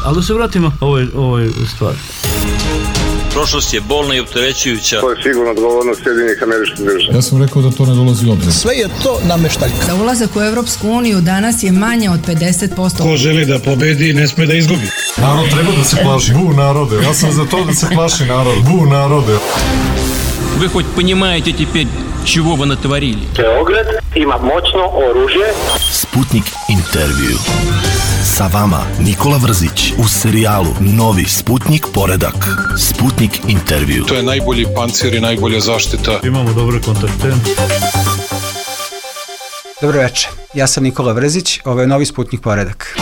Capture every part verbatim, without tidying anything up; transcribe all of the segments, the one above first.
Ali da se vratimo ovoj, ovoj stvari. Prošlost je bolna i opterećujuća. To je sigurno odgovornost Sjedinjenih Američkih Država. Ja sam rekao da to ne dolazi u obzir. Sve je to nameštaljka. Za ulazak u Evropsku uniju danas je manje od pedeset posto. Ko želi da pobedi, ne sme da izgubi. Narod treba da se plaši. Bu narode. Ja sam za to da se plaši narod. Bu narode. Вы хоть понимаете теперь, чего вы натворили? Beograd ima moćno oružje. Sputnik intervju. Sa vama Nikola Vrzić u serijalu Novi Sputnik poredak. Sputnik intervju. To je najbolji pancir i najbolja zaštita. Imamo dobre kontakte. Dobro večer, ja sam Nikola Vrzić, ovo je Novi Sputnik poredak.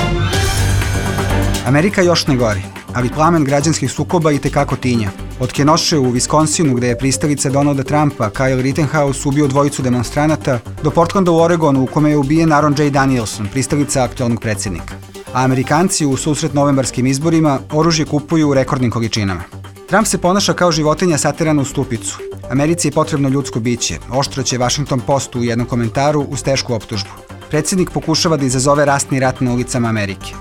Amerika još ne gori, ali plamen građanskih sukoba i tekako tinja. Od Kenoshe u Viskonsinu, gde je pristalica Donalda Trumpa, Kyle Rittenhouse, ubio dvojicu demonstranata, do Portlanda u Oregonu, u kome je ubijen Aaron J. Danielson, pristalica aktualnog predsjednika. A Amerikanci u susret novembarskim izborima oružje kupuju u rekordnim količinama. Trump se ponaša kao životinja saterana u stupicu. Americi je potrebno ljudsko biće, oštro će Washington Post u jednom komentaru uz tešku optužbu. Predsjednik pokušava da izazove rasni rat na ulicama Amerike.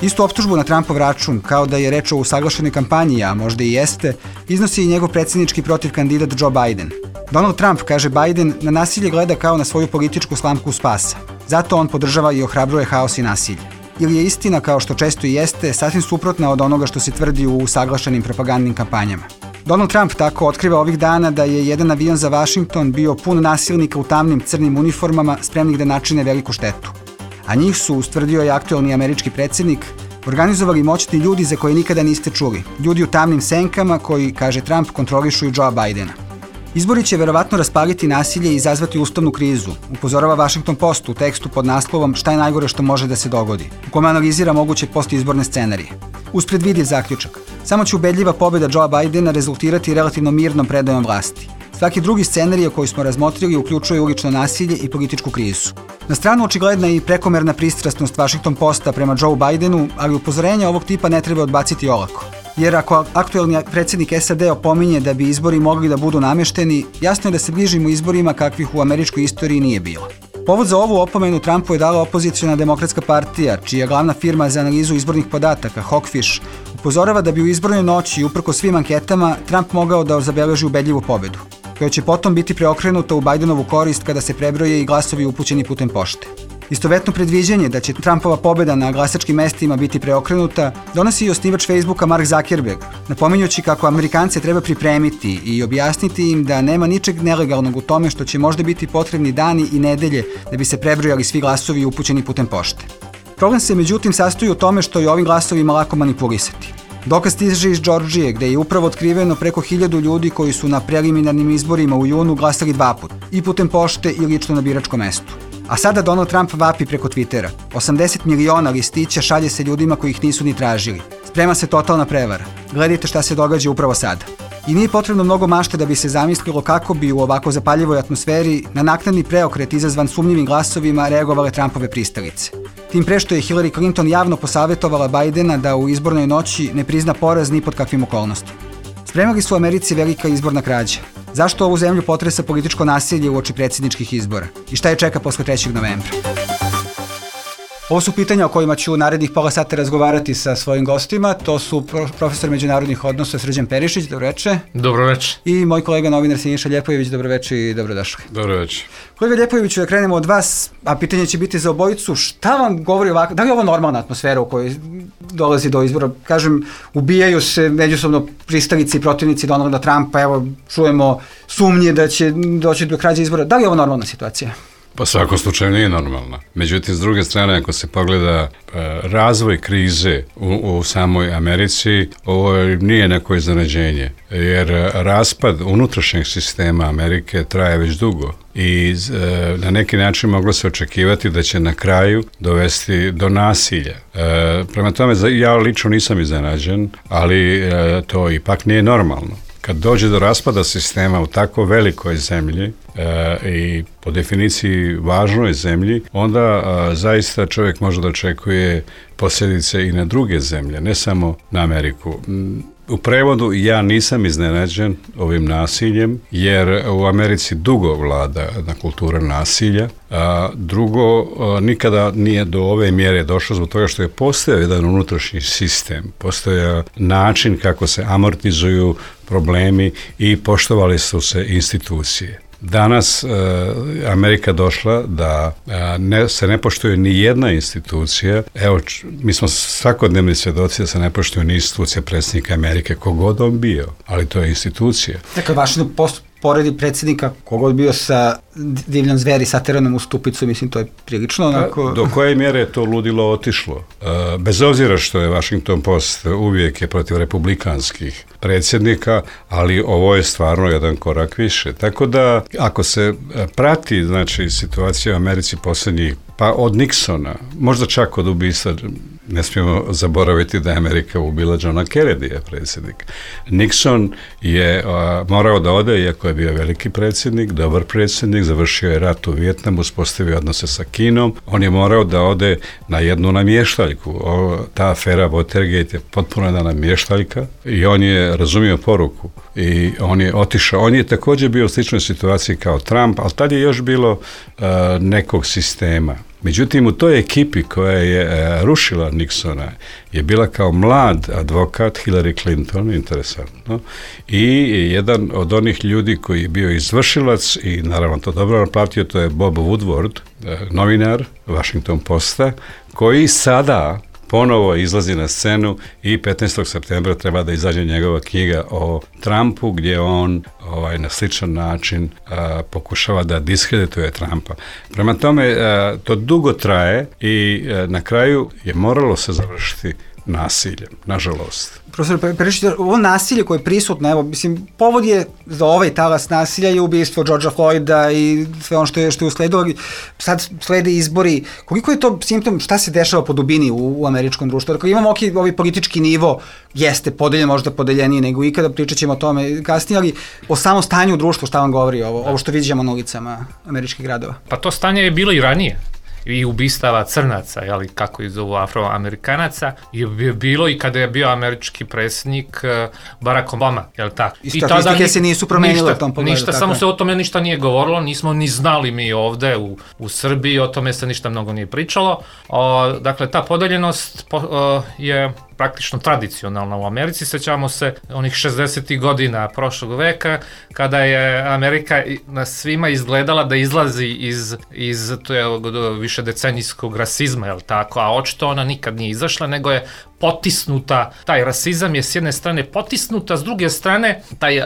Istu optužbu na Trumpov račun, kao da je reč o usaglašenoj kampanji, a možda i jeste, iznosi i njegov predsjednički protiv kandidat Joe Biden. Donald Trump, kaže Biden, na nasilje gleda kao na svoju političku slamku spasa. Zato on podržava i ohrabruje haos i nasilje. Ili je istina, kao što često i jeste, sasvim suprotna od onoga što se tvrdi u usaglašenim propagandnim kampanjama. Donald Trump tako otkriva ovih dana da je jedan avion za Washington bio pun nasilnika u tamnim crnim uniformama spremnih da načine veliku štetu. A njih su, ustvrdio je aktualni američki predsjednik, organizovali moćni ljudi za koje nikada niste čuli. Ljudi u tamnim senkama koji, kaže Trump, kontrolišu i Joea Bidena. Izbori će verovatno raspaliti nasilje i izazvati ustavnu krizu, upozorava Washington Post u tekstu pod naslovom Šta je najgore što može da se dogodi, u kome analizira moguće postizborne scenarije. Uz predvidiv zaključak, samo će ubedljiva pobjeda Joea Bidena rezultirati relativno mirnom predajom vlasti. Svaki drugi scenarij koji smo razmotrili uključuje ulično nasilje i političku krizu. Na stranu očigledna i prekomerna pristrasnost Washington Posta prema Joe Bidenu, ali upozorenja ovog tipa ne treba odbaciti olako. Jer ako aktuelni predsjednik S A D opominje da bi izbori mogli da budu namešteni, jasno je da se bližimo izborima kakvih u američkoj istoriji nije bilo. Povod za ovu opomenu Trumpu je dala opoziciona demokratska partija, čija glavna firma za analizu izbornih podataka, Hawkfish, upozorava da bi u izbornoj noći, uprko svim anketama, Trump mogao da zabeleži ubedljivu pobedu, koja će potom biti preokrenuta u Bidenovu korist kada se prebroje i glasovi upućeni putem pošte. Istovetno predviđanje da će Trumpova pobjeda na glasačkim mestima biti preokrenuta donosi i osnivač Facebooka Mark Zuckerberg, napominjući kako Amerikance treba pripremiti i objasniti im da nema ničeg nelegalnog u tome što će možda biti potrebni dani i nedelje da bi se prebrojali svi glasovi upućeni putem pošte. Problem se međutim sastoji u tome što je ovim glasovima lako manipulisati. Dokaz stiže iz Džordžije, gde je upravo otkriveno preko hiljadu ljudi koji su na preliminarnim izborima u junu glasali dva put, i putem pošte i lično na biračkom mestu. A sada Donald Trump vapi preko Twittera. osamdeset miliona listića šalje se ljudima koji ih nisu ni tražili. Sprema se totalna prevara. Gledajte šta se događa upravo sada. I nije potrebno mnogo mašte da bi se zamislilo kako bi u ovako zapaljivoj atmosferi na naknadni preokret izazvan sumnjivim glasovima reagovale Trumpove pristalice. Tim pre što je Hillary Clinton javno posavjetovala Bidena da u izbornoj noći ne prizna poraz ni pod kakvim okolnostima. Spremali su u Americi velika izborna krađa. Zašto ovu zemlju potresa političko nasilje uoči predsjedničkih izbora? I šta je čeka posle trećeg novembra? Ovo su pitanja o kojima ću u narednih pola sata razgovarati sa svojim gostima. To su profesor međunarodnih odnosa Srđan Perišić, dobroveče. Dobroveče. I moj kolega novinar Siniša Ljepojević, dobroveče i dobrodošli. Dobroveče. Kolega Ljepojeviću, da krenemo od vas, a pitanje će biti za obojicu, šta vam govori ovako, da li je ovo normalna atmosfera u kojoj dolazi do izbora? Kažem, ubijaju se međusobno pristalici i protivnici Donalda Trumpa, evo, čujemo sumnje da će doći do krađe izbora. Da li je ovo normalna situacija? Pa svakom slučaju nije normalna. Međutim, s druge strane, ako se pogleda e, razvoj krize u, u samoj Americi, ovo nije neko iznenađenje, jer raspad unutrašnjeg sistema Amerike traje već dugo i e, na neki način moglo se očekivati da će na kraju dovesti do nasilja. E, prema tome, ja lično nisam iznenađen, ali e, to ipak nije normalno. Kad dođe do raspada sistema u tako velikoj zemlji e, i po definiciji važnoj zemlji, onda a, zaista čovjek može da očekuje posljedice i na druge zemlje, ne samo na Ameriku. U prevodu, ja nisam iznenađen ovim nasiljem, jer u Americi dugo vlada jedna kultura nasilja, a drugo, a, nikada nije do ove mjere došlo zbog toga što je postojao jedan unutrašnji sistem, postojao način kako se amortizuju problemi i poštovali su se institucije. Danas e, Amerika došla da e, ne, se ne poštuje ni jedna institucija. Evo, č, mi smo svakodnevni svjedoci da se ne poštuje ni institucija predsjednika Amerike, kogod on bio, ali to je institucija. Dakle, vašno post poredi predsjednika, kogod bio sa divljom zveri sateranom u stupicu, mislim, to je prilično onako... Do koje mjere je to ludilo otišlo? E, bez obzira što je Washington Post uvijek je protiv republikanskih predsjednika, ali ovo je stvarno jedan korak više. Tako da, ako se prati, znači, situacija u Americi posljednjih, pa od Nixona, možda čak od ubistva, ne smijemo zaboraviti da je Amerika ubila Johna Kennedyja, predsjednika. Nixon je a, morao da ode, iako je bio veliki predsjednik, dobar predsjednik, završio je rat u Vijetnamu, uspostavio odnose sa Kinom, on je morao da ode na jednu namještaljku. O, ta afera Watergate je potpuno jedna namještaljka i on je razumio poruku i on je otišao. On je također bio u sličnoj situaciji kao Trump, ali tad je još bilo a, nekog sistema. Međutim, u toj ekipi koja je e, rušila Nixona je bila kao mlad advokat Hillary Clinton, interesantno, i jedan od onih ljudi koji je bio izvršilac i naravno to dobro naplatio, to je Bob Woodward, e, novinar Washington Posta, koji sada ponovo izlazi na scenu i petnaestog septembra treba da izađe njegova knjiga o Trumpu, gdje on ovaj, na sličan način a, pokušava da diskredituje Trumpa. Prema tome, a, to dugo traje i a, na kraju je moralo se završiti nasiljem, nažalost. Profesor Perišić, ovo nasilje koje je prisutno, evo, mislim, povod je za ovaj talas nasilja je ubistvo Georgea Floyda i sve ono što je, što je usledilo. Sad slede izbori. Koliko je to simptom, šta se dešava po dubini u, u američkom društvu? Dakle, imamo ok, ovaj politički nivo, jeste podeljen, možda podeljeniji nego ikada, pričat ćemo o tome kasnije, ali o samom stanju u društvu, šta vam govori ovo, ovo što vidimo na ulicama američkih gradova? Pa to stanje je bilo i ranije. I ubistava crnaca, jeli, kako ih zovu afroamerikanaca, je bilo i kada je bio američki predsjednik Barack Obama, jel tako? I statistike se nisu promenile u tom pogledu. Ništa, samo se o tome ništa nije govorilo, nismo ni znali mi ovde u, u Srbiji, o tome se ništa mnogo nije pričalo. O, dakle, ta podeljenost po, o, je praktično tradicionalna u Americi. Sećamo se onih šezdesetih godina prošlog veka, kada je Amerika na svima izgledala da izlazi iz, iz to je, više decenijskog rasizma, jel tako, a očito ona nikad nije izašla, nego je potisnuta, taj rasizam je s jedne strane potisnuta, s druge strane taj,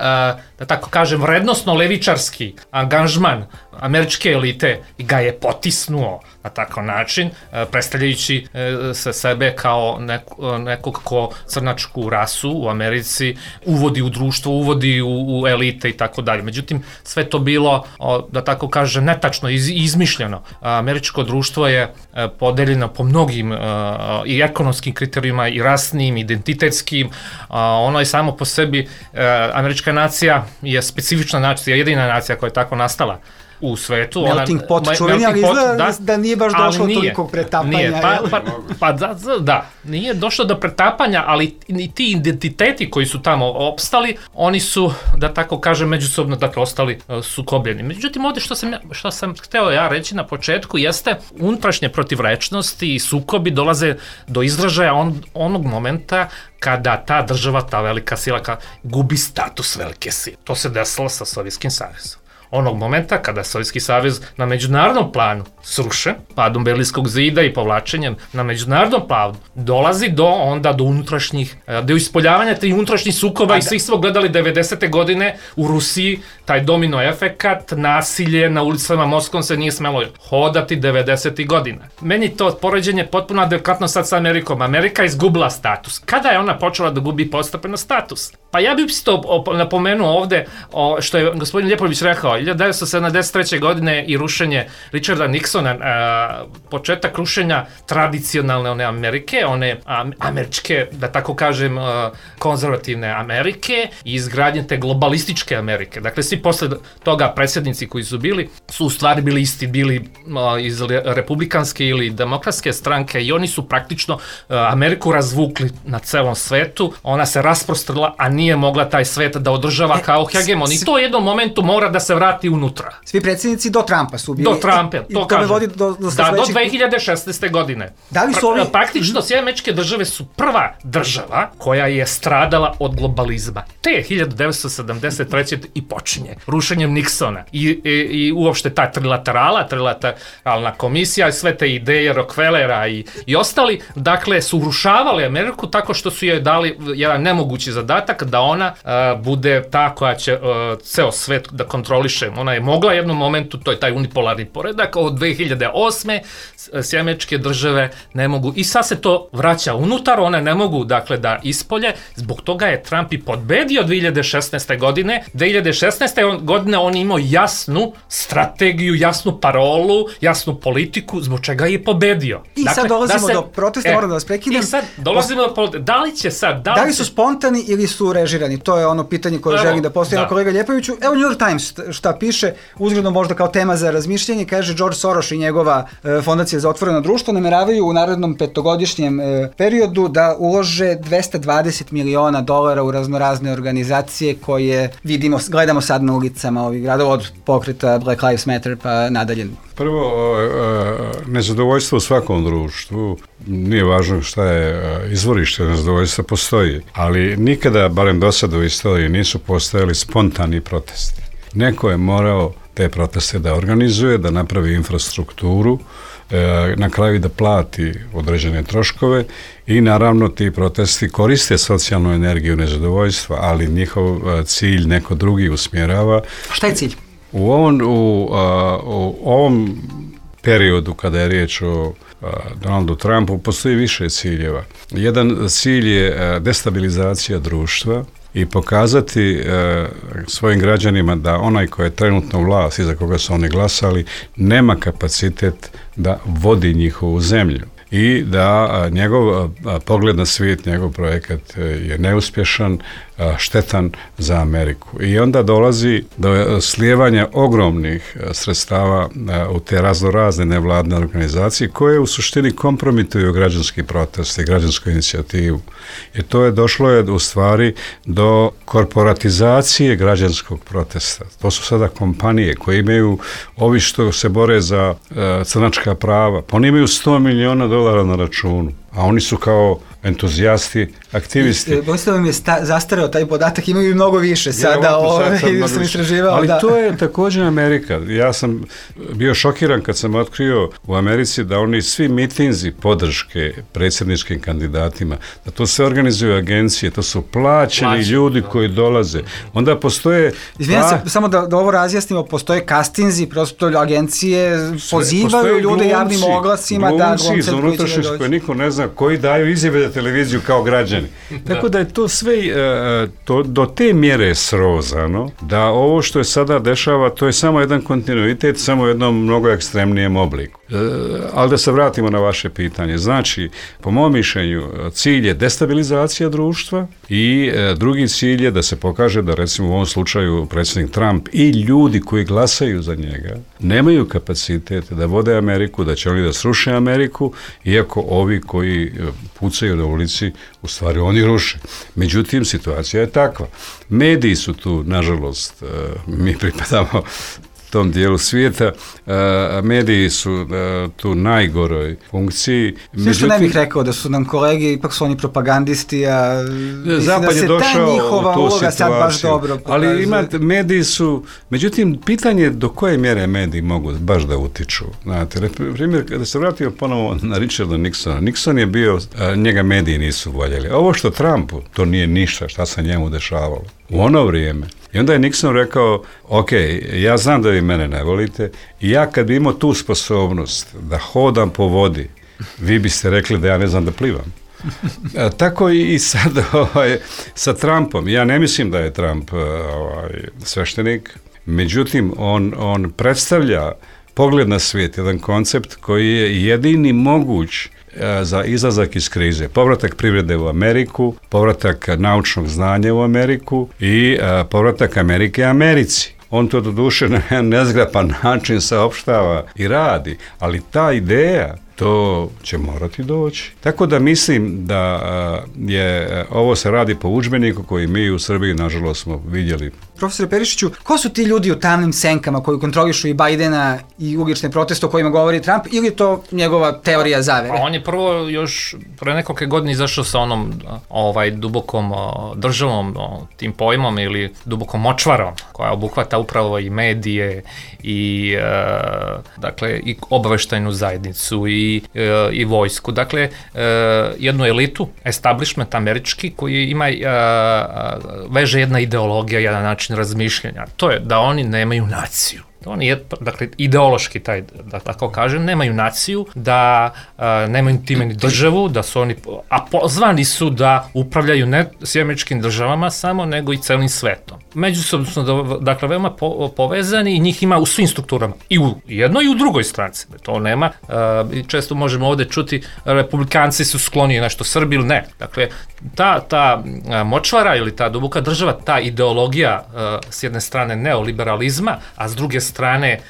da tako kažem, vrednostno-levičarski angažman američke elite ga je potisnuo na takav način, predstavljajući se sebe kao neko, nekog ko crnačku rasu u Americi uvodi u društvo, uvodi u, u elite i tako dalje. Međutim, sve to bilo, da tako kažem, netačno, iz, izmišljeno. Američko društvo je podeljeno po mnogim i ekonomskim kriterijima, i rasnim, identitetskim. Ono je samo po sebi, američka nacija je specifična nacija, jedina nacija koja je tako nastala u svetu. Melting ona, pot čuveni, ali izgleda da, da nije baš došlo nije, toliko pretapanja. Nije, pa, pa, pa da, da, nije došlo do pretapanja, ali i ti identiteti koji su tamo opstali, oni su, da tako kažem, međusobno dakle, ostali uh, sukobljeni. Međutim, ovdje što sam, što sam hteo ja reći na početku jeste unutrašnje protivrečnosti i sukobi dolaze do izražaja on, onog momenta kada ta država, ta velika sila gubi status velike sile. To se desilo sa Sovjetskim savezom. Onog momenta kada Sovjetski savez na međunarodnom planu sruše, padom Berlinskog zida i povlačenjem na međunarodnom planu, dolazi do onda do unutrašnjih, do ispoljavanja tih unutrašnjih sukoba. A i svi smo gledali devedesete godine u Rusiji, taj domino efekat, nasilje na ulicama Moskvom se nije smelo hodati devedesetih godina. Meni to poređenje potpuno adekvatno sad sa Amerikom. Amerika izgubila status. Kada je ona počela da gubi postepeno status? Pa ja bih to napomenuo ovde, o, što je gospodin Ljepović rekao, hiljadu devetsto sedamdeset treće. godine i rušenje Richarda Nixona, a, početak rušenja tradicionalne one Amerike, one a, američke, da tako kažem, a, konzervativne Amerike i izgradnje te globalističke Amerike. Dakle, svi posle toga predsjednici koji su bili, su u stvari bili isti, bili a, iz republikanske ili demokratske stranke i oni su praktično a, Ameriku razvukli na celom svetu, ona se rasprostrla, a nije mogla taj svet da održava e, kao hegemon. I to u jednom momentu mora da se vrati unutra. Svi predsjednici do Trumpa su bili. Do Trumpa, to, to kažem. Vodi do, do, da, do dve hiljade šesnaeste. godine. Da li su ovi... pra, praktično, Sjedinjene Američke Države su prva država koja je stradala od globalizma. Te hiljadu devetsto sedamdeset treće. i počinje rušenjem Nixona. I, i, i uopšte ta trilaterala, trilateralna komisija, sve te ideje Rockefellera i, i ostali, dakle, su urušavali Ameriku tako što su joj dali jedan nemogući zadatak da ona uh, bude ta koja će uh, ceo svet da kontroliše. Ona je mogla u jednom momentu, to je taj unipolarni poredak, od dve hiljade osme. Sjedinjene Američke Države ne mogu, i sad se to vraća unutar, one ne mogu, dakle, da ispolje, zbog toga je Trump i podbedio dve hiljade šesnaeste. godine. dve hiljade šesnaeste. godine on imao jasnu strategiju, jasnu parolu, jasnu politiku, zbog čega je pobedio. I dakle, sad dolazimo da se, do protesta, e, moram da vas prekidem. I sad dolazimo do protesta. Da li će sad... Da li, da li su spontani ili su režirani? To je ono pitanje koje želim da postavim da. kolega Ljepoviću. Evo New York Times šta piše, uzgledno možda kao tema za razmišljanje, kaže George Soros i njegova e, fondacija za otvoreno društvo nameravaju u narednom petogodišnjem e, periodu da ulože dvesta dvadeset miliona dolara u raznorazne organizacije koje vidimo, gledamo sad na ulicama ovih gradova, od pokreta Black Lives Matter pa nadalje. Prvo, nezadovoljstvo u svakom društvu, nije važno šta je izvorište nezadovoljstva, postoji, ali nikada, barem do sada u istoriji, nisu postojali spontani protesti. Neko je morao te proteste da organizuje, da napravi infrastrukturu, na kraju da plati određene troškove i naravno ti protesti koriste socijalnu energiju nezadovoljstva, ali njihov cilj neko drugi usmjerava. Šta je cilj? U ovom, u, a, u ovom periodu kada je riječ o a, Donaldu Trumpu postoji više ciljeva. Jedan cilj je a, destabilizacija društva i pokazati a, svojim građanima da onaj koji je trenutno vlast i za koga su oni glasali nema kapacitet da vodi njihovu zemlju. I da njegov pogled na svijet, njegov projekat je neuspješan, štetan za Ameriku. I onda dolazi do slijevanja ogromnih sredstava u te raznorazne nevladne organizacije koje u suštini kompromituju građanski protest i građansku inicijativu. I to je došlo je u stvari do korporatizacije građanskog protesta. To su sada kompanije koje imaju, ovi što se bore za uh, crnačka prava, pa oni imaju sto miliona dolara na računu, a oni su kao entuzijasti, aktivisti. Bojstvo vam je sta, zastareo taj podatak, imaju i mnogo više sada, ove, sad sam istraživao. Ali da. to je također Amerika. Ja sam bio šokiran kad sam otkrio u Americi da oni svi mitinzi podrške predsjedničkim kandidatima, da to se organizuju agencije, to su plaćeni Plaći, ljudi da. koji dolaze. Onda postoje... Izvijem pa... se, samo da, da ovo razjasnimo, postoje kastinzi, prosto agencije pozivaju ljude glumci, javnim oglasima glumci, da glumce iz unutrašnjosti koje niko ne zna, koji daju izjave za televiziju kao građani. Da. Tako da je to sve uh, to, do te mjere srozano, da ovo što je sada dešava, to je samo jedan kontinuitet, samo u jednom mnogo ekstremnijem obliku. Uh, ali da se vratimo na vaše pitanje. Znači, po mom mišljenju, cilj je destabilizacija društva i uh, drugi cilj je da se pokaže da, recimo, u ovom slučaju predsjednik Trump i ljudi koji glasaju za njega nemaju kapacitet da vode Ameriku, da će oni da sruše Ameriku, iako ovi koji pucaju na ulici, u stvari oni ruše. Međutim, situacija je takva. Mediji su tu, nažalost, mi pripadamo tom dijelu svijeta, uh, mediji su uh, tu najgoroj funkciji. Sve što ne bih rekao da su nam kolege, ipak su oni propagandisti, a Zapad da je došao njihova u tu uloga sad baš dobro pokazuje. Ali imate, mediji su, međutim, pitanje do koje mjere mediji mogu baš da utiču. Znate, primjer, kada se vratio ponovo na Richarda Nixona, Nixon je bio, uh, njega mediji nisu voljeli. Ovo što Trumpu, to nije ništa šta se njemu dešavalo. U ono vrijeme. I onda je Nixon rekao, ok, ja znam da vi mene ne volite i ja kad bi imao tu sposobnost da hodam po vodi, vi biste rekli da ja ne znam da plivam. A, tako i sad ovaj, sa Trumpom. Ja ne mislim da je Trump ovaj, sveštenik, međutim, on, on predstavlja pogled na svijet, jedan koncept koji je jedini moguć za izlazak iz krize. Povratak privrede u Ameriku, povratak naučnog znanja u Ameriku i a, povratak Amerike Americi. On to doduše na nezgrapan način saopštava i radi, ali ta ideja, to će morati doći. Tako da mislim da je ovo se radi po udžbeniku koji mi u Srbiji, nažalost, smo vidjeli. Profesore Perišiću, ko su ti ljudi u tamnim senkama koji kontrolišu i Bajdena i ulične proteste o kojima govori Trump, ili je to njegova teorija zavere? Pa on je prvo još pre nekoliko godina izašao sa onom ovaj dubokom državom, tim pojmom ili dubokom močvarom, koja obuhvata upravo i medije i e, dakle i obaveštajnu zajednicu i, e, i vojsku. Dakle, e, jednu elitu, establishment američki, koji ima e, veže jedna ideologija, jedan način razmišljanja. To je da oni nemaju naciju. Oni je, dakle, ideološki taj, da tako kažem, nemaju naciju, da a, nemaju time ni državu, da su oni, a pozvani su da upravljaju ne s američkim državama samo, nego i celim svetom. Međusobno su, dakle, veoma po, povezani i njih ima u svim strukturama. I u jednoj i u drugoj stranci. To nema, a, često možemo ovde čuti, republikanci su skloni nešto Srbi ili ne. Dakle, ta, ta močvara ili ta duboka država, ta ideologija a, s jedne strane neoliberalizma, a s druge strane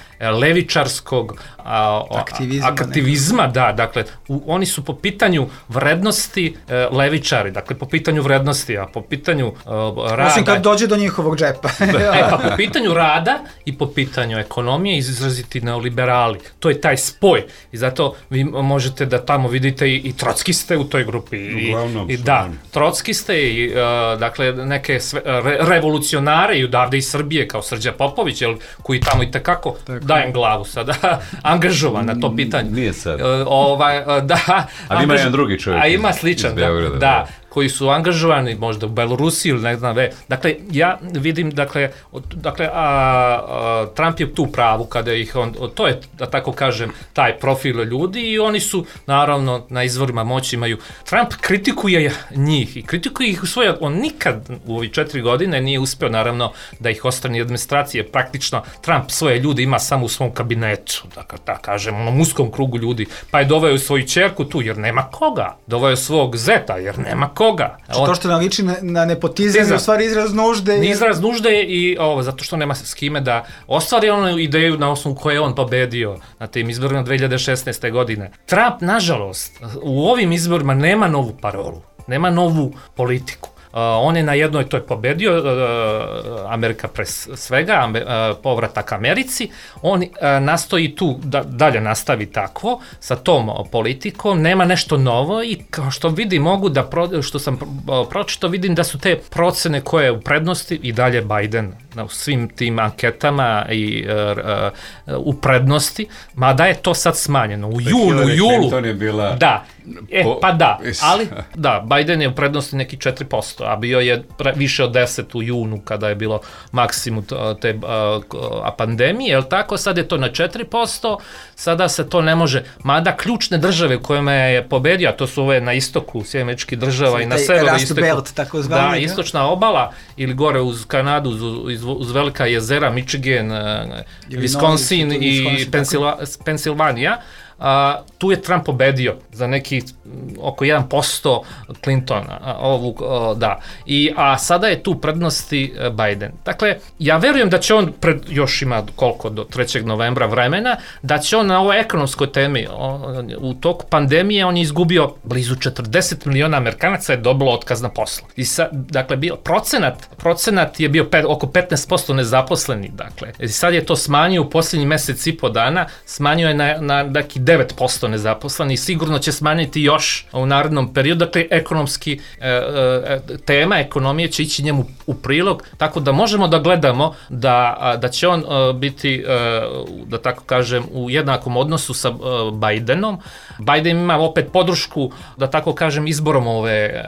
levičarskog a, aktivizma, aktivizma da, dakle, u, oni su po pitanju vrednosti e, levičari, dakle, po pitanju vrednosti, a po pitanju e, rada... Osim kad dođe do njihovog džepa. e, pa po pitanju rada i po pitanju ekonomije izraziti neoliberali. To je taj spoj i zato vi možete da tamo vidite i, i trockiste u toj grupi. I, Uglavnom, i da, trockiste i, uh, dakle, neke sve, re, revolucionare i odavde iz Srbije, kao Srđa Popović, jel, koji tamo i tekako dajem glavu sada, angažovan na to pitanje. Nije sad. Uh, ovaj, uh, da, ali ima jedan drugi čovjek. A ima sličan, da, Beograda, da, koji su angažovani možda u Belorusiji ili ne znam ve. Dakle, ja vidim, dakle, dakle a, a, Trump je tu pravu kada ih on, to je, da tako kažem, taj profil ljudi i oni su, naravno, na izvorima moći imaju. Trump kritikuje njih i kritikuje ih u svoje, on nikad u ovih četiri godine nije uspeo, naravno, da ih ostrani administracije. Praktično, Trump svoje ljude ima samo u svom kabinetu, dakle, da kažem, onom uskom krugu ljudi, pa je doveo svoju ćerku tu, jer nema koga. Doveo svog zeta, jer nema koga. On, to što nam liči na, na nepotizam je u stvari izraz nužde. I... Izraz nužde i ovo, zato što nema s kime da ostvari onu ideju na osnovu koje je on pobedio na tim izborima dve hiljade šesnaeste. godine. Trump, nažalost, u ovim izborima nema novu parolu, nema novu politiku. Uh, on je na jednoj, to je pobedio, uh, Amerika pre svega, uh, povratak Americi, on uh, nastoji tu da dalje nastavi takvo, sa tom uh, politikom, nema nešto novo i kao što vidim, mogu da, pro, što sam uh, pročito, vidim da su te procene koje u prednosti i dalje Biden u svim tim anketama i uh, uh, u prednosti, mada je to sad smanjeno. U junu, u julu, je bila... da, e, pa da, ali da, Biden je u prednosti neki četiri posto, a bio je pre, više od deset u junu kada je bilo maksimum te a, a pandemije, jel tako, sad je to na četiri posto, sada se to ne može, mada ključne države u kojima je pobedio, a to su ove na istoku Sjedinjenih Američkih Država i na severu istoku, belt, tako zvani, da, istočna obala ili gore uz Kanadu, uz, uz velika jezera, Michigan, Wisconsin i Pensilvanija. A, tu je Trump pobedio za neki oko jedan posto Clintona, a, ovu, a, da. I, a sada je tu prednosti Biden. Dakle, ja verujem da će on, pred, još ima koliko do trećeg novembra vremena, da će on na ovoj ekonomskoj temi, on, u toku pandemije on je izgubio blizu četrdeset miliona Amerikanaca je dobilo otkaz na poslu. I sad, dakle, bio, procenat, procenat je bio pet, oko petnaest posto nezaposleni, dakle. I sad je to smanjio u posljednji mesec i po dana, smanjio je na, na neki devet posto nezaposleni i sigurno će smanjiti još u narednom periodu. Dakle, ekonomski e, e, tema ekonomije će ići njemu u prilog, tako da možemo da gledamo da, da će on e, biti, e, da tako kažem, u jednakom odnosu sa e, Bidenom. Biden ima opet podršku, da tako kažem, izborom ove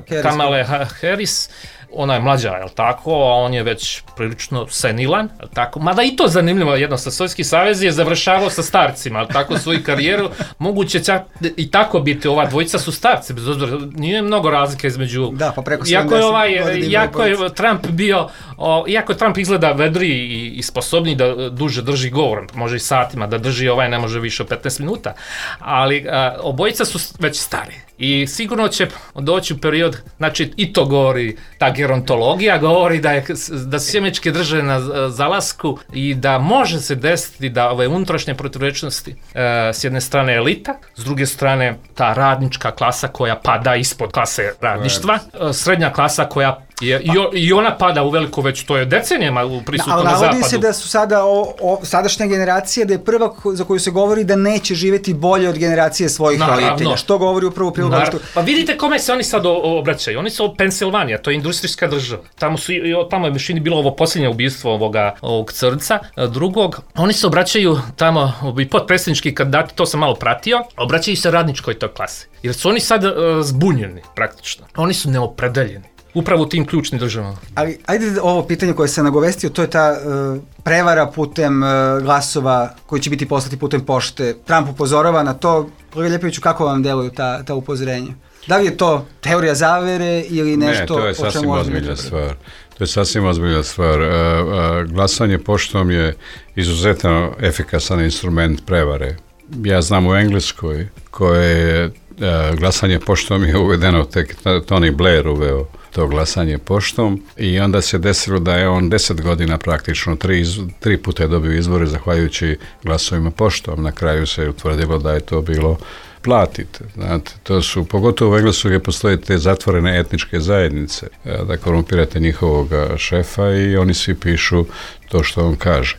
e, Kamale Harris. Ona je mlađa, je li tako, a on je već prilično senilan, je li tako? Mada i to zanimljivo, jednostavno, Sovjetski savez je završavao sa starcima, je li tako, svoju karijeru, moguće čak i tako biti, ova dvojica su starci, bez obzira, nije mnogo razlike između, da, pa preko iako je, ovaj, iako je Trump bio, o, iako Trump izgleda vedri i, i sposobni da duže drži govor, može i satima da drži, ovaj ne može više od petnaest minuta, ali a, obojica su već stari i sigurno će doći u period, znači i to govori ta gerontologija, govori da, je, da su sjemečke drže na zalasku i da može se desiti da ove unutrašnje protivrečnosti e, s jedne strane elita, s druge strane ta radnička klasa koja pada ispod klase radništva, e, srednja klasa koja je, i, i ona pada u veliko već, to je decenijama prisutno na zapadu. Ali navodi se da su sada o, o, sadašnja generacija, da je prva za koju se govori da neće živjeti bolje od generacije svojih Naravno. roditelja. Što govori upravo u prilog? Što... Pa vidite kome se oni sad obraćaju. Oni su Pensilvanija, to je industrijska država. Tamo, su, tamo je mišljeni bilo ovo posljednje ubistvo ovoga, ovog crnca, drugog. Oni se obraćaju tamo, i potpredsjednički kandidati, to sam malo pratio, obraćaju se radničkoj toj klasi. Jer su oni sad uh, zbunjeni praktično. Oni su neopredeljeni. Upravo u tim ključnim državama. Ali ajde ovo pitanje koje se nagovestio, to je ta uh, prevara putem uh, glasova koji će biti poslati putem pošte. Trump upozorava na to. Kolega Ljepoviću, kako vam deluju ta, ta upozorenja? Da li je to teorija zavere ili nešto o čemu... Ne, to je sasvim ozbiljna stvar. To je sasvim ozbiljna stvar. Uh, uh, glasanje poštom je izuzetno efikasan instrument prevare. Ja znam u Engleskoj koje je uh, glasanje poštom je uvedeno, tek Tony Blair uveo to glasanje poštom i onda se desilo da je on deset godina praktično, tri, tri puta je dobio izbore zahvaljujući glasovima poštom. Na kraju se utvrdilo da je to bilo platite. Znate, to su, pogotovo u Engleskoj gdje postoje te zatvorene etničke zajednice, da korumpirate njihovog šefa i oni svi pišu to što on kaže.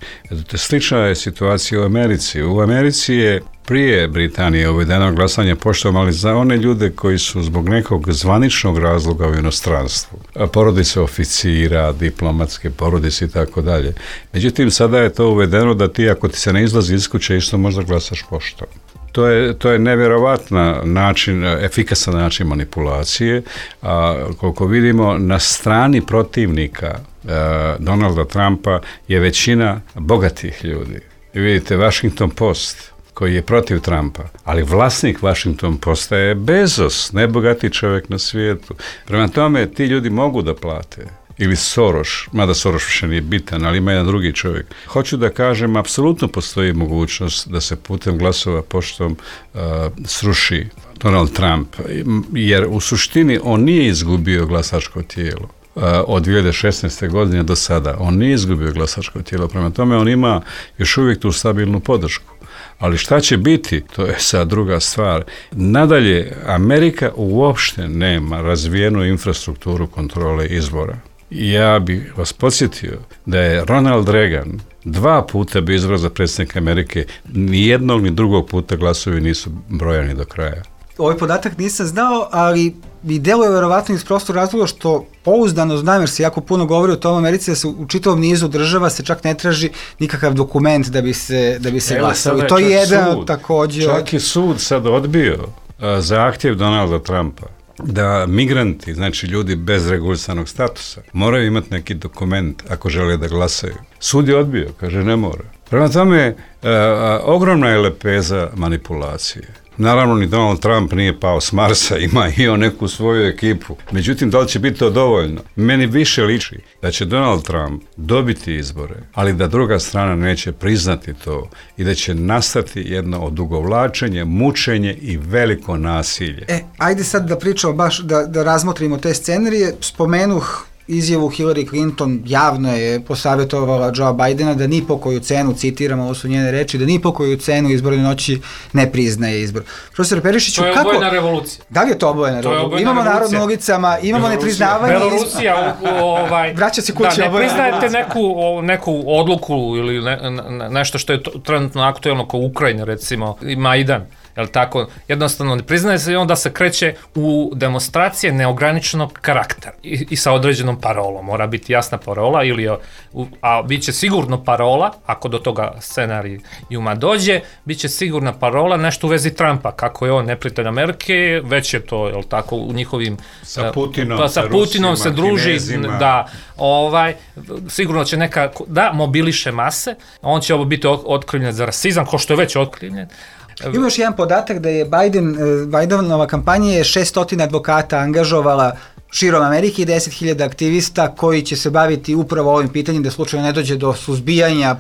Slična je situacija u Americi. U Americi je prije Britanije uvedeno glasanje poštom, ali za one ljude koji su zbog nekog zvaničnog razloga u inostranstvu, porodice oficira, diplomatske porodice i tako dalje. Međutim, sada je to uvedeno da ti, ako ti se ne izlazi iz kuće, isto možda glasaš poštom. To je, to je nevjerovatna način, efikasan način manipulacije, a koliko vidimo na strani protivnika uh, Donalda Trumpa je većina bogatih ljudi. I vidite, Washington Post, koji je protiv Trumpa, ali vlasnik Washington Posta je Bezos, najbogatiji čovjek na svijetu. Prema tome, ti ljudi mogu da plate. Ili Soros, mada Soros više nije bitan, ali ima jedan drugi čovjek. Hoću da kažem, apsolutno postoji mogućnost da se putem glasova poštom uh, sruši Donald Trump, jer u suštini on nije izgubio glasačko tijelo. Uh, od dvije hiljade šesnaeste. godine do sada. On nije izgubio glasačko tijelo, prema tome on ima još uvijek tu stabilnu podršku. Ali šta će biti, to je sad druga stvar. Nadalje, Amerika uopšte nema razvijenu infrastrukturu kontrole izbora. Ja bih vas podsjetio da je Ronald Reagan dva puta bio izabran za predsjednika Amerike, ni jednog ni drugog puta glasovi nisu brojani do kraja. Ovaj podatak nisam znao, ali i deluje verovatno iz prostog razloga što pouzdano znam, jer se jako puno govori o tom Americi, da se u čitavom nizu država se čak ne traži nikakav dokument da bi se, da bi se glasalo. I to je jedan sud, također... Čak i sud sad odbio uh, zahtjev Donalda Trumpa da migranti, znači ljudi bez regulisanog statusa, moraju imati neki dokument ako žele da glasaju. Sud je odbio, kaže ne mora. Prema tome, uh, ogromna je lepeza manipulacije. Naravno, ni Donald Trump nije pao s Marsa, ima i on neku svoju ekipu. Međutim, da li će biti to dovoljno? Meni više liči da će Donald Trump dobiti izbore, ali da druga strana neće priznati to i da će nastati jedno odugovlačenje, mučenje i veliko nasilje. E, ajde sad da pričamo baš, da, da razmotrimo te scenarije. Spomenuh izjavu Hillary Clinton, javno je posavjetovala Joe Bidena da ni po koju cenu, citiramo, ovo su njene reči, da ni po koju cenu izborne noći ne priznaje izbor. Profesor Perišiću, kako... To je obojena revolucija. Da li je to obojena revolucija? Imamo narod na ulicama, imamo nepriznavanje... Revolucija, ovaj... Vraća se kući, da, ne priznajete neku, neku odluku ili ne, ne, nešto što je trenutno aktuelno kao Ukrajina, recimo, i Majdan. Jel tako, jednostavno ne priznaje se i onda se kreće u demonstracije neograničenog karaktera i, i sa određenom parolom. Mora biti jasna parola, ili, a bit će sigurno parola, ako do toga scenarijuma dođe, bit će sigurna parola nešto u vezi Trumpa, kako je on neprijatelj Amerike, već je to, jel tako, u njihovim... Sa Putinom, pa, sa Putinom Rusima, se druži, Kinezima. Da, ovaj, sigurno će neka, da, mobiliše mase, on će ovo biti otkrivljen za rasizam, ko što je već otkrivljen, Ima još jedan podatak da je Biden, Bidenova kampanja je šesnaest advokata angažovala širom Amerike i deset hiljada aktivista koji će se baviti upravo ovim pitanjem da slučajno ne dođe do suzbijanja,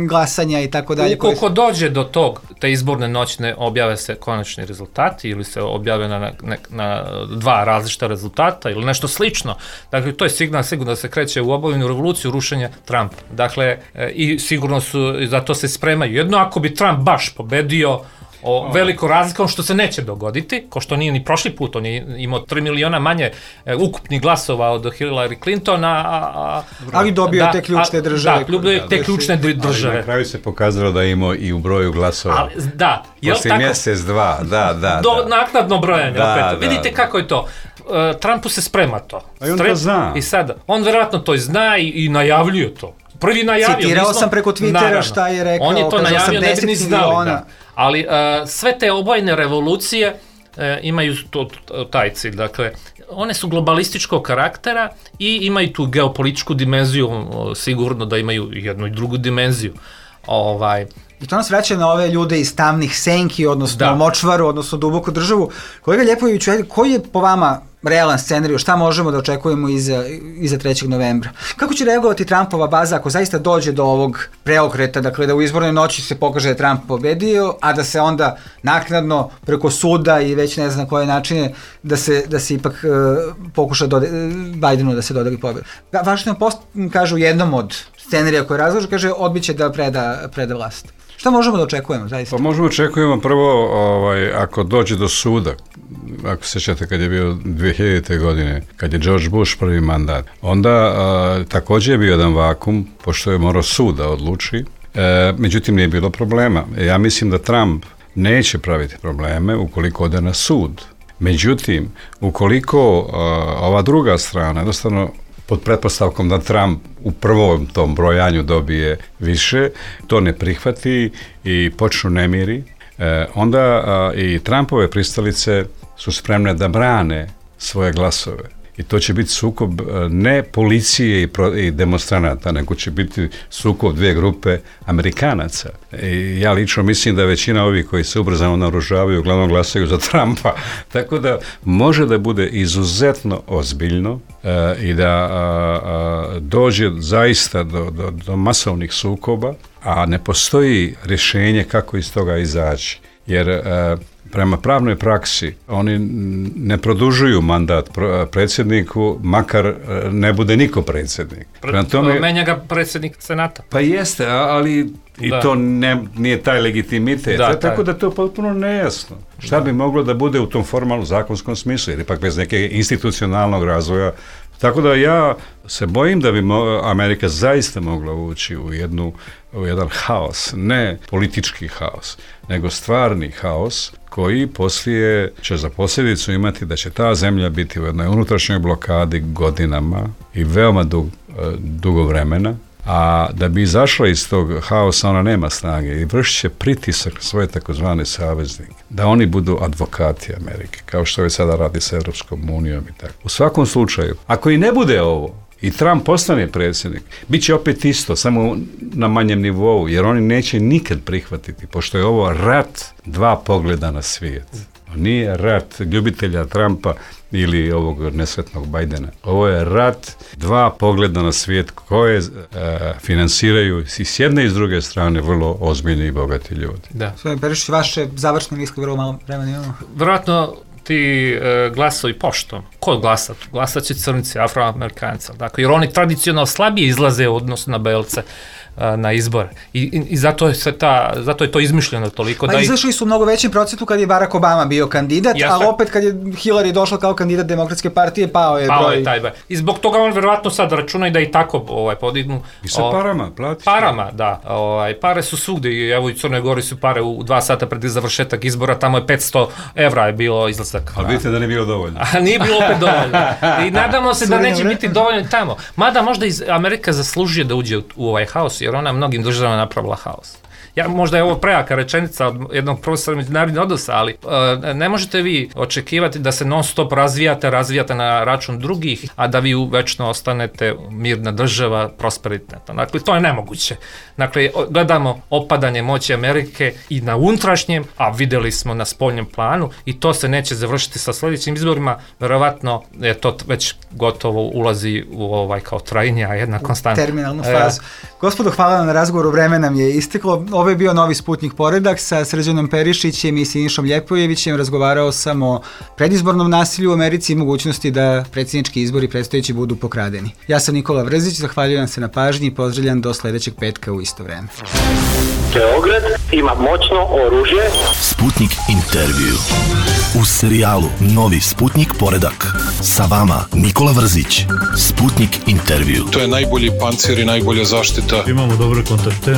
glasanja i tako dalje. Ukoliko dođe do tog, te izborne noćne objave se konačni rezultati ili se objave na, na, na dva različita rezultata ili nešto slično. Dakle, to je signal sigurno da se kreće u obavljenu revoluciju rušenja Trumpa. Dakle, i sigurno su, za to se spremaju. Jedno ako bi Trump baš pobedio o veliko razlikom, što se neće dogoditi, ko što nije ni prošli put, on je imao tri miliona manje e, ukupnih glasova od Hillary Clintona, a, a, ali dobio da, te ključne a, države. Da, dobio te ključne države. Ali na kraju se pokazalo da je imao i u broju glasova. Ali, da, jel Poslije tako? mjesec, dva, da, da. Do da. naknadno brojanje, da, opet. Da, Vidite da. kako je to. Uh, Trumpu se sprema to. A on Strep, to zna. I sada, on verovatno to zna i, i najavljuje to. Prvi najavio. Citirao nismo, sam preko Twittera naravno, šta je rekao. On je to najavio, ne bi ni znali. Da. Ali uh, sve te obojene revolucije uh, imaju to, to, taj cilj. Dakle, one su globalističkog karaktera i imaju tu geopolitičku dimenziju, uh, sigurno da imaju jednu i drugu dimenziju. Ovaj... I to nas vraća na ove ljude iz tamnih senki, odnosno da. močvaru, odnosno duboku državu. Kolega Ljepojeviću, koji je po vama realan scenarij, šta možemo da očekujemo iza, iza trećeg novembra? Kako će reagovati Trumpova baza ako zaista dođe do ovog preokreta, dakle da u izbornoj noći se pokaže da je Trump pobedio, a da se onda naknadno preko suda i već ne znam koje načine da se, da se ipak uh, pokuša dode, Bidenu da se dodeli pobjedu. Washington Post kaže u jednom od scenarija koje razloži, kaže odbit će da preda, preda vlast. Šta možemo da očekujemo, zaista? Pa možemo očekujemo prvo, ovaj, ako dođe do suda, ako se sjećate kad je bio dvije hiljadite. godine, kad je George Bush prvi mandat, onda a, također je bio jedan vakum, pošto je morao sud da odluči, e, međutim nije bilo problema. Ja mislim da Trump neće praviti probleme ukoliko ode na sud. Međutim, ukoliko a, ova druga strana, jednostavno pod pretpostavkom da Trump u prvom tom brojanju dobije više, to ne prihvati i počnu nemiri, e, onda a, i Trumpove pristalice su spremne da brane svoje glasove. I to će biti sukob ne policije i, pro, i demonstranata, nego će biti sukob dvije grupe Amerikanaca. I ja lično mislim da većina ovih koji se ubrzano naoružavaju uglavnom glasaju za Trumpa. Tako da može da bude izuzetno ozbiljno e, i da a, a, dođe zaista do, do, do masovnih sukoba, a ne postoji rješenje kako iz toga izaći. Jer e, prema pravnoj praksi oni ne produžuju mandat predsjedniku, makar ne bude niko predsjednik. Prema tome, menja ga predsjednik Senata. Pa jeste, ali i da. to ne, nije taj legitimitet. Da, tako taj. Da to je potpuno nejasno. Šta da. bi moglo da bude u tom formalnom zakonskom smislu, jer ipak bez neke institucionalnog razvoja. Tako da ja se bojim da bi mo- Amerika zaista mogla ući u, jednu, u jedan haos, ne politički haos, nego stvarni haos koji poslije će za posljedicu imati da će ta zemlja biti u jednoj unutrašnjoj blokadi godinama i veoma dug, dugo vremena, a da bi izašla iz tog haosa ona nema snage i vršit će pritisak na svoje takozvane saveznike, da oni budu advokati Amerike, kao što je sada radi sa Europskom unijom i tako. U svakom slučaju, ako i ne bude ovo, i Trump postane predsjednik, bit će opet isto, samo na manjem nivou, jer oni neće nikad prihvatiti, pošto je ovo rat dva pogleda na svijet. Nije rat ljubitelja Trumpa ili ovog nesretnog Bidena. Ovo je rat dva pogleda na svijet koje e, finansiraju i s jedne i s druge strane vrlo ozbiljni i bogati ljudi. Da. Sve Perišić, vaše završne misli, vrlo malo vremena imamo. Vjerojatno ti e, glasovi poštom. Ko glasa? Glasat će crnici, afroamerikanci. Dakle, jer oni tradicionalno slabije izlaze u odnosu na belce a, na izbore. I, i, i zato, je se ta, zato je to izmišljeno toliko. Pa da izašli su u mnogo većem procentu kad je Barack Obama bio kandidat, Jeste. ali opet kad je Hillary došla kao kandidat Demokratske partije, pao je pao broj. Je taj broj. I zbog toga on verovatno sad računa i da i tako ovaj, podignu. I sa parama, platiš. Parama, da. Ovaj, pare su svugde. Evo i Crnoj Gori su pare u dva sata pred završetak izbora, tamo je petsto evra je bilo izlazak. Ali vidite da nije bilo dovoljno. A nije bilo opet dovoljno. I nadamo se da neće biti dovoljno tamo. Mada možda iz Amerika zaslužuje da uđe u, u ovaj haos, jer ona mnogim državama napravila haos. ja, možda je ovo prejaka rečenica od jednog profesora međunarodnih odnosa, ali e, ne možete vi očekivati da se non stop razvijate, razvijate na račun drugih, a da vi večno ostanete mirna država, prosperitetna. Dakle, to je nemoguće. Dakle, gledamo opadanje moći Amerike i na unutrašnjem, a videli smo na spoljnom planu, i to se neće završiti sa sljedećim izborima, verovatno je to već gotovo ulazi u ovaj kao trajnija jedna konstanta. Terminalnu fazu. E, Gospodo, hvala vam na razgovoru, vreme nam je isteklo. Ovo je bio Novi Sputnik Poredak sa Srđanom Perišićem i Sinišom Ljepojevićem. Razgovarao sam o predizbornom nasilju u Americi i mogućnosti da predsjednički izbori predstojeći budu pokradeni. Ja sam Nikola Vrzić, zahvaljujem se na pažnji i pozdravljam do sljedećeg petka u isto vreme. Beograd ima moćno oružje. Sputnik intervju. U serijalu Novi Sputnik Poredak. Sa vama Nikola Vrzić. Sputnik intervju. To je najbolji pancir i najbolja zaštita. Imamo dobre kontakte.